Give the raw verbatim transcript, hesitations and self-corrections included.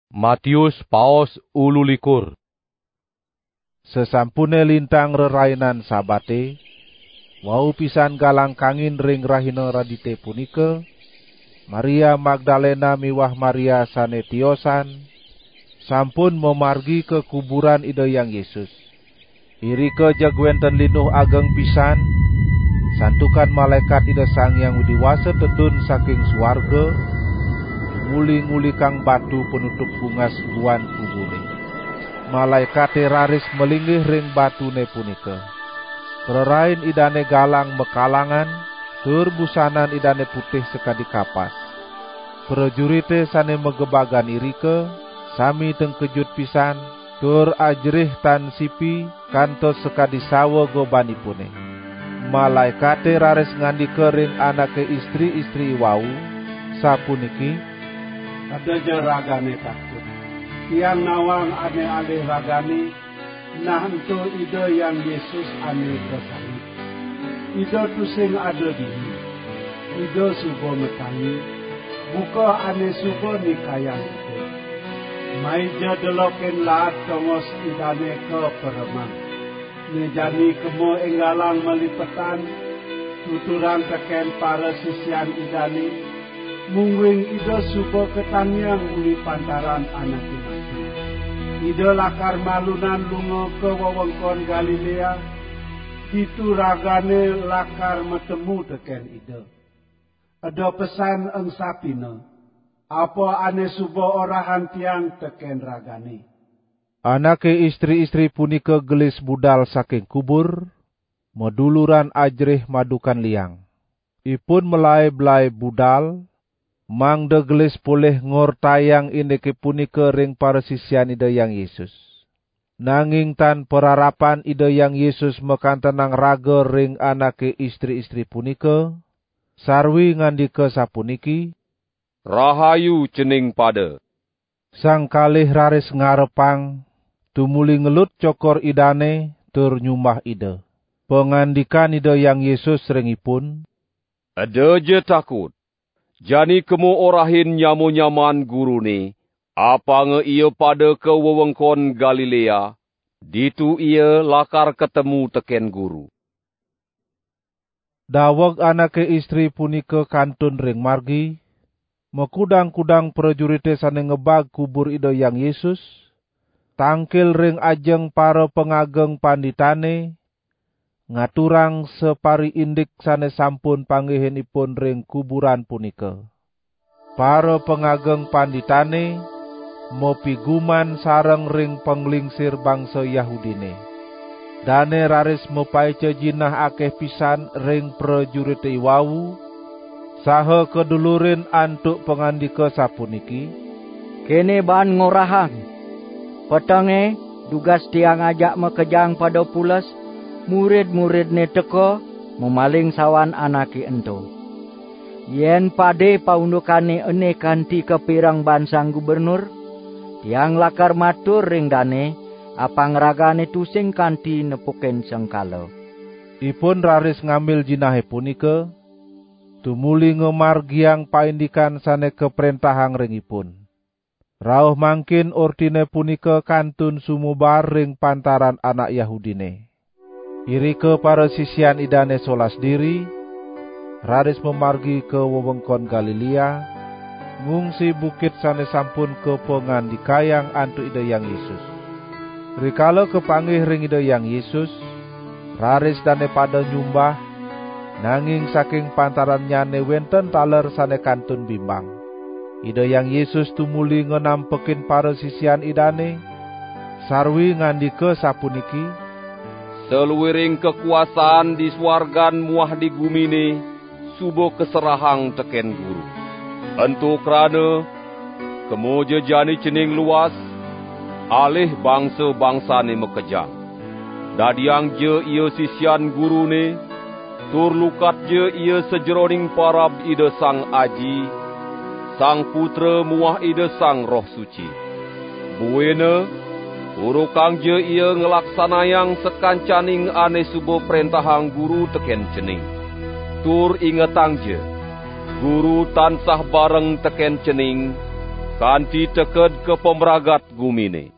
Matius paos ululikur. Sesampune lintang rerainan Sabate, wau pisan galang kangin ring rahina Radite punika, Maria Magdalena miwah Maria sane tiosan sampun mamargi ka kuburan Ida Hyang Yesus. Irika jeg wenten linuh ageng pisan, santukan malaekat Ida Sang Hyang Widi Wasa tedun saking suarga, tumuli ngulikang batu panutup bungas buan kubure. Malaekate raris malinggih ring batune punika. Prarain Idane galang makalangan, tur busanan Idane putih sakadi kapas. Prajurite sane magebagan irika sami tengkejut pisan, tur ajerih tan sipi kantos sakadi sawa gobanipune. Malaekate raris ngandika ring anake istri-istri iwau, sapuniki: "Eda ja ragane takut. Tiang nawang ane alih ragane, nah ento Ida Hyang Yesus ane kasangit. Ida tusing ada dini. Ida suba matangi, buka ane suba nikayang Ida. Mai ja delokin laad tongos Idane ka pereman. Ne jani kema enggalang malipetan, tuturang teken parasisian Idane, mungguing Ida suba katangiang uli pantaran anake mati. Ida lakar malunan lunga ka wewengkon Galilea, ditu ragane lakar matemu teken Ida. Eda pesan engsapina, apa ane suba orahang Tiang teken ragane." Anake istri-istri punika gelis budal saking kubur, maduluran ajerih madukan liang. Ipun malaib-laib budal, mangda gelis polih ngortayang indike punika ring parasisian Ida Hyang Yesus. Nanging tan pararapan Ida Hyang Yesus makantenang raga ring anake istri-istri punika, sarwi ngandika sapuniki: "Rahayu cening pada." Sang kalih raris ngarepang, tumuli ngelut cokor Idane tur nyumbah Ida. Pangandikan Ida Hyang Yesus ring ipun: "Eda ja takut. Jani kema orahin nyama-nyaman Gurune, apanga ia pada ka wewengkon Galilea, ditu ia lakar katemu teken Guru." Daweg anake istri punika kantun ring margi, makudang-kudang prajurite sane ngebag kubur Ida Hyang Yesus, tangkil ring ajeng para pangageng panditane, ngaturang sapariindik sane sampun panggihin ipun ring kuburan punika. Para pangageng panditane mapiguman sareng ring panglingsir bangsa Yahudine. Dane raris mapaica jinah akeh pisan ring prajurite iwau, saha kadulurin antuk pangandika sapuniki: "Kene baan ngorahang: Petenge, dugas Tiang ajak makejang pada pules, murid-muridne teka, mamaling sawan anake ento. Yen pade paundukane ene kanti kapireng baan Sang Gubernur, Tiang lakar matur ring dane, apang ragane tusing kanti nepukin sengkala." Ipun raris ngambil jinahe punika, tumuli ngamargiang paindikan sane kaprentahang ring ipun. Rauh mangkin ortine punika kantun sumebar ring pantaran anak Yahudine. Irika parasisian Idane solas diri, raris mamargi ka wewengkon Galilea, ngungsi bukit sane sampun kapangandikayang antuk Ida Hyang Yesus. Rikala kapanggih ring Ida Hyang Yesus, raris dane pada nyumbah, nanging saking pantarannyane wenten taler sane kantun bimbang. Ida Hyang Yesus tumuli nganampekin parasisian Idane, sarwi ngandika sapuniki: "Saluiring kakuasaan di suargan muah di gumine suba kaserahang teken Guru. Ento krana, kema ja jani cening luas, alih bangsa-bangsane makejang. Dadiang ja ia sisian Gurune, tur lukat ja ia sajeroning parab Ida Sang Aji, Sang Putra muah Ida Sang Roh Suci. Buina, urukang ja ia nglaksanayang sakancaning ane suba prentahang Guru teken cening. Tur ingetang ja, Guru tansah bareng teken cening, kanti teked ka pamragat gumine.